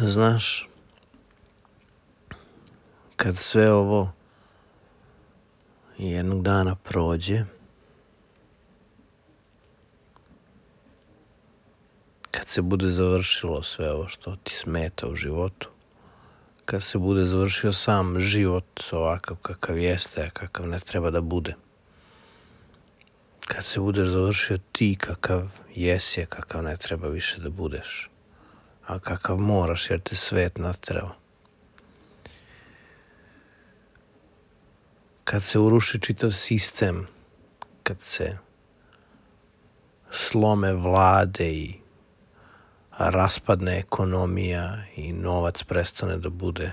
Znaš, kad sve ovo jednog dana prođe, kad se bude završilo sve ovo što ti smeta u životu, kad se bude završio sam život ovakav kakav jeste, kakav ne treba da bude, kad se budeš završio ti kakav jesi, kakav ne treba više da budeš, a kakav moraš jer te svet naterao, kad se uruši čitav sistem, kad se slome vlade i raspadne ekonomija i novac prestane da bude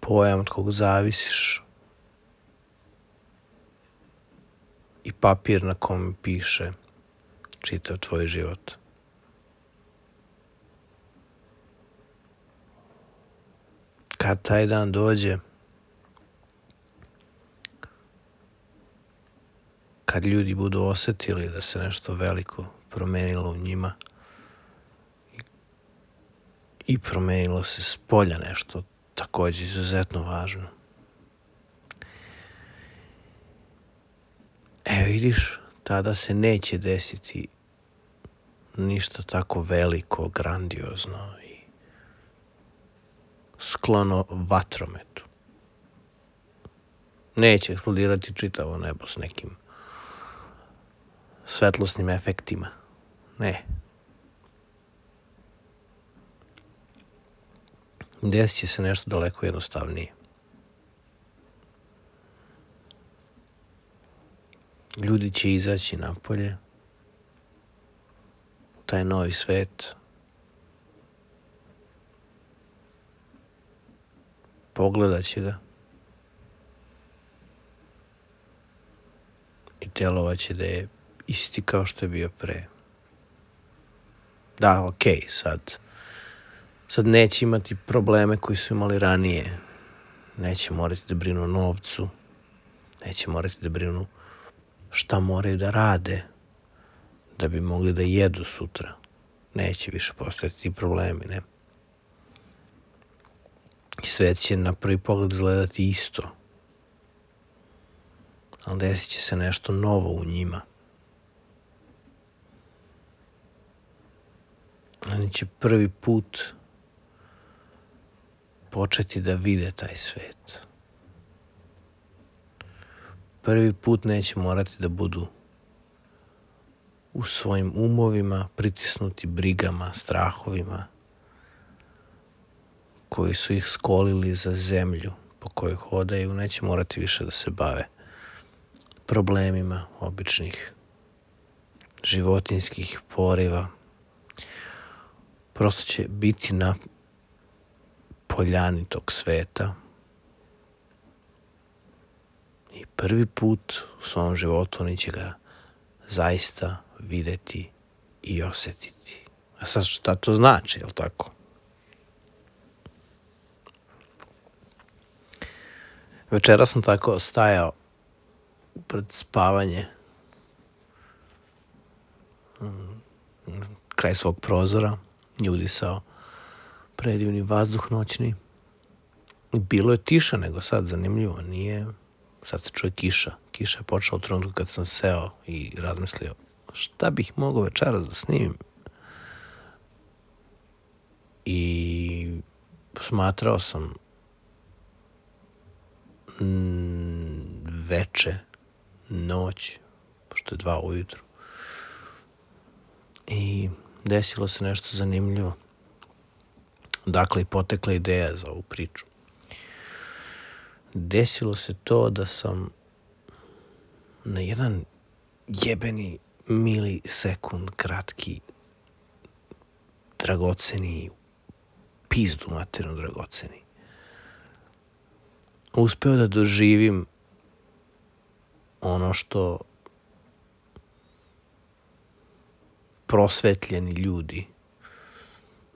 pojam od kog zavisiš i papir na kom piše čitav tvoj život. Kad taj dan dođe, kad ljudi budu osetili da se nešto veliko promenilo u njima i promenilo se spolja nešto također izuzetno važno. Vidiš, tada se neće desiti ništa tako veliko, grandiozno i sklono vatrometu. Neće eksplodirati čitavo nebo s nekim svetlosnim efektima. Ne. Desit će se nešto daleko jednostavnije. Ljudi će izaći napolje u taj novi svet, pogledat će ga i djelovat će da je isti kao što je bio pre. Da, okej, sad neće imati probleme koji su imali ranije. Neće morati da brinu o novcu, neće morati da brinu šta moraju da rade da bi mogli da jedu sutra. Neće više postojati ti problemi, ne? I svet će na prvi pogled izgledati isto. Ali desit će se nešto novo u njima. Oni će prvi put početi da vide taj svet. Prvi put neće morati da budu u svojim umovima pritisnuti brigama, strahovima koji su ih skolili za zemlju po kojoj hodaju. Neće morati više da se bave problemima običnih životinjskih poriva. Prosto će biti na poljani tog sveta i prvi put u svom životu oni će ga zaista videti i osjetiti. A sad šta to znači, jel tako? Večera sam tako stajao pred spavanje kraj svog prozora i udisao predivni vazduh noćni. Bilo je tiša nego sad, zanimljivo, nije. Sad se čuje kiša. Kiša je počela u trenutku kad sam seo i razmislio šta bih mogao večeras da snimim. I smatrao sam veče, noć, pošto je 2 ujutru. I desilo se nešto zanimljivo. Dakle, i potekla ideja za ovu priču. Desilo se to da sam na jedan jebeni milisekund kratki, dragoceni, pizdu materinu dragoceni, uspeo da doživim ono što prosvetljeni ljudi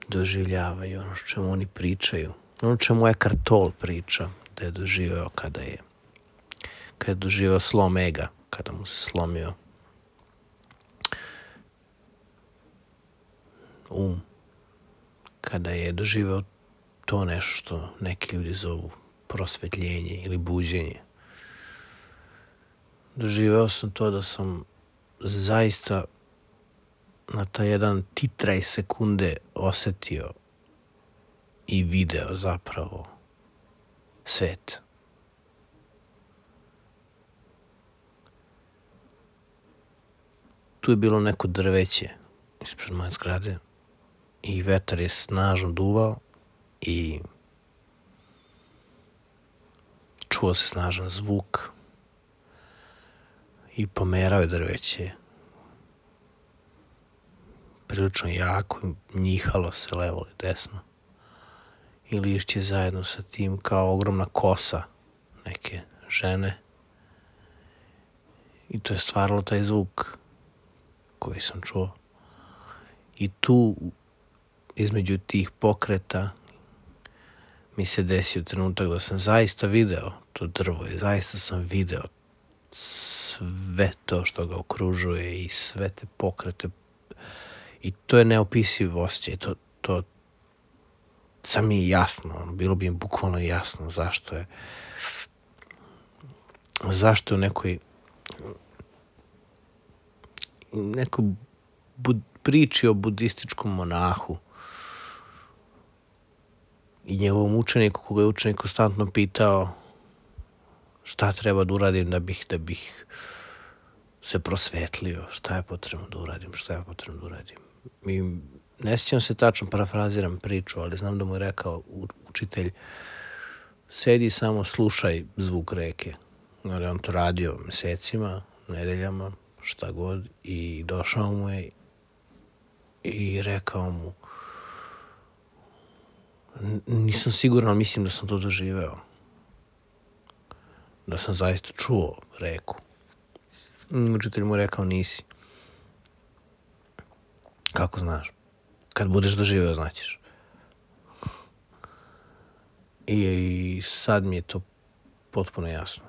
doživljavaju, ono što čemu oni pričaju, ono čemu Eckhart Tolle priča da je doživio kada je doživio slom ega, kada mu se slomio kada je doživeo to nešto što neki ljudi zovu prosvetljenje ili buđenje. Doživeo sam to da sam zaista na taj jedan titraj sekunde osetio i video zapravo svet. Tu je bilo neko drveće ispred moje zgrade i vetar je snažno duvao i čuo se snažan zvuk i pomerao je drveće prilično jako i njihalo se levo ili desno i lišće zajedno sa tim kao ogromna kosa neke žene i to je stvaralo taj zvuk koji sam čuo. I tu između tih pokreta mi se desio trenutak da sam zaista video to drvo i zaista sam video sve to što ga okružuje i sve te pokrete i to je neopisiv osjećaj. To sam mi jasno, bilo bi im bukvalno jasno zašto u nekoj priči o budističkom monahu i njegovom učeniku, koga je učenik konstantno pitao šta treba da uradim da bih se prosvetlio, šta je potrebno da uradim. I ne sjećam se tačno, parafraziram priču, ali znam da mu je rekao učitelj, sedi samo slušaj zvuk reke. Ali on to radio mesecima, nedeljama, šta god, i došao mu je i rekao mu, nisam siguran, ali mislim da sam to doživeo. Da sam zaista čuo reku. Učitelj mu je rekao, nisi. Kako znaš? Kad budeš doživeo, znaćeš. I sad mi je to potpuno jasno.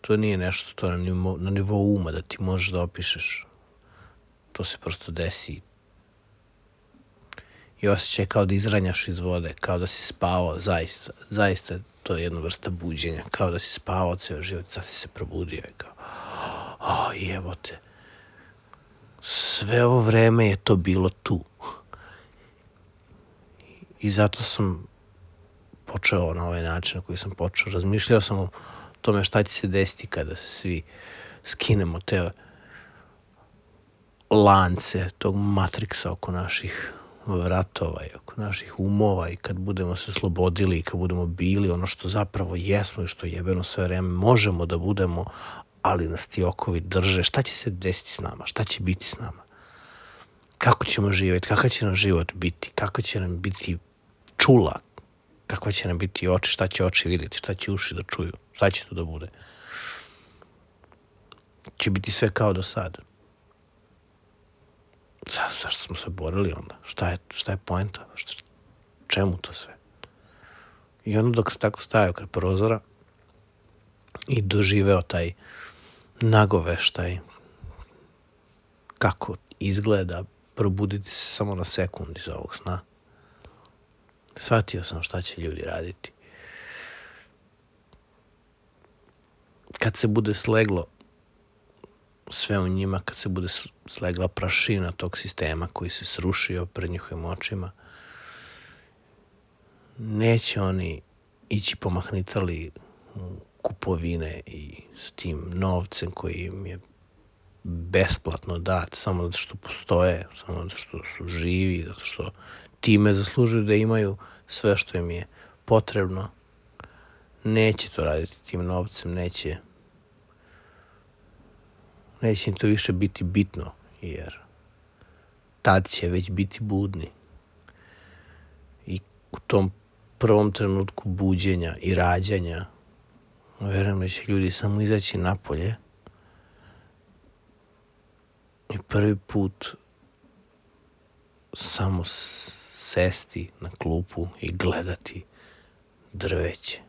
To nije nešto, to je na nivou uma da ti možeš da opišeš. To se prosto desi. I osjećaj kao da izranjaš iz vode, kao da si spavao, zaista to je jedna vrsta buđenja, kao da si spavao ceo život, sad si se probudio i kao, jebote, sve ovo vreme je to bilo tu. I zato sam počeo na ovaj način na koji sam počeo. Razmišljao sam o tome šta će se desiti kada se svi skinemo te lance, tog matriksa oko naših vratova i oko naših umova i kad budemo se oslobodili i kad budemo bili ono što zapravo jesmo i što jebeno sve vreme možemo da budemo, ali nas ti okovi drže. Šta će se desiti s nama? Šta će biti s nama? Kako ćemo živjeti? Kakav će nam život biti? Kako će nam biti čula? Kakva će nam biti oči? Šta će oči vidjeti? Šta će uši da čuju? Šta će to da bude? Će biti sve kao do sada. Zašto smo se borili onda? Šta je poenta? Čemu to sve? I onda dok se tako stajao kraj prozora i doživeo taj nagoveštaj kako izgleda probuditi se samo na sekund iz ovog sna, shvatio sam šta će ljudi raditi. Kad se bude sleglo sve u njima, kad se bude slegla prašina tog sistema koji se srušio pred njihovim očima, neće oni ići pomahnitali u kupovine i s tim novcem koji im je besplatno dat, samo zato što postoje, samo zato što su živi, zato što time zaslužuju da imaju sve što im je potrebno. Neće to raditi tim novcem, neće im to više biti bitno, jer tad će već biti budni. I u tom prvom trenutku buđenja i rađanja, vjerujem da će ljudi samo izaći napolje i prvi put samo sesti na klupu i gledati drveće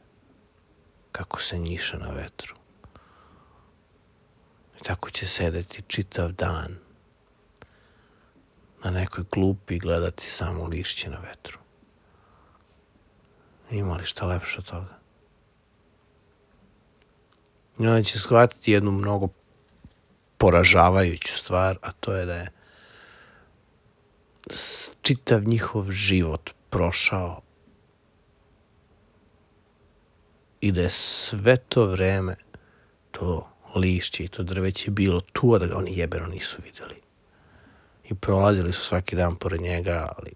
kako se njiše na vetru. I tako će sedeti čitav dan na nekoj klupi gledati samo lišće na vetru. Ima li šta lepše od toga? I onda će shvatiti jednu mnogo poražavajuću stvar, a to je da je čitav njihov život prošao i da je sve to vreme to lišće i to drveće bilo tu, a da ga oni jebeno nisu videli. I prolazili su svaki dan pored njega, ali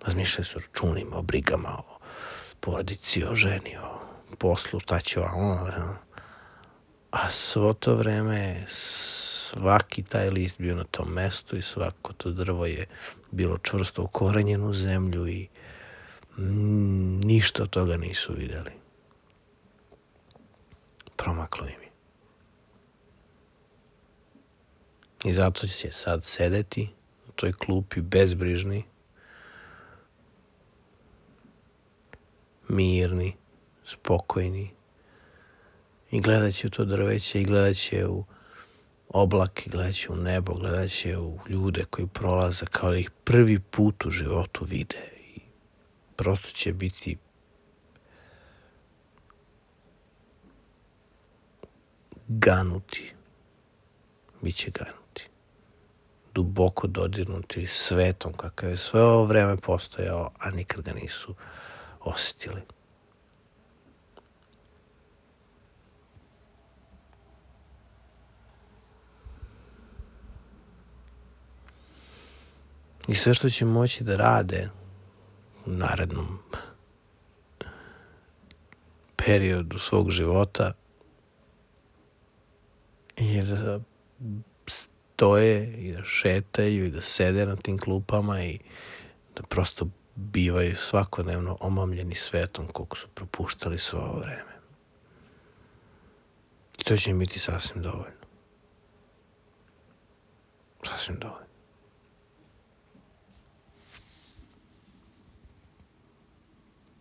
razmišljali su o računima, o brigama, o porodici, o ženi, o poslu, šta će vam. A svo to vreme je svaki taj list bio na tom mestu i svako to drvo je bilo čvrsto ukorenjeno u zemlju i ništa od toga nisu videli. Promaklo im je. I zato će sad sedeti u toj klupi bezbrižni, mirni, spokojni i gledat će u to drveće i gledat će u oblake, gledat će u nebo, gledat će u ljude koji prolaze kao da ih prvi put u životu vide i prosto će biti ganuti. Biće ganuti. Duboko dodirnuti svetom kakav je sve ovo vreme postojao, a nikad ga nisu osjetili. I sve što će moći da rade u narednom periodu svog života je da stoje i da šetaju i da sede na tim klupama i da prosto bivaju svakodnevno omamljeni svetom koliko su propuštali sve ovo vreme. I to će im biti sasvim dovoljno. Sasvim dovoljno.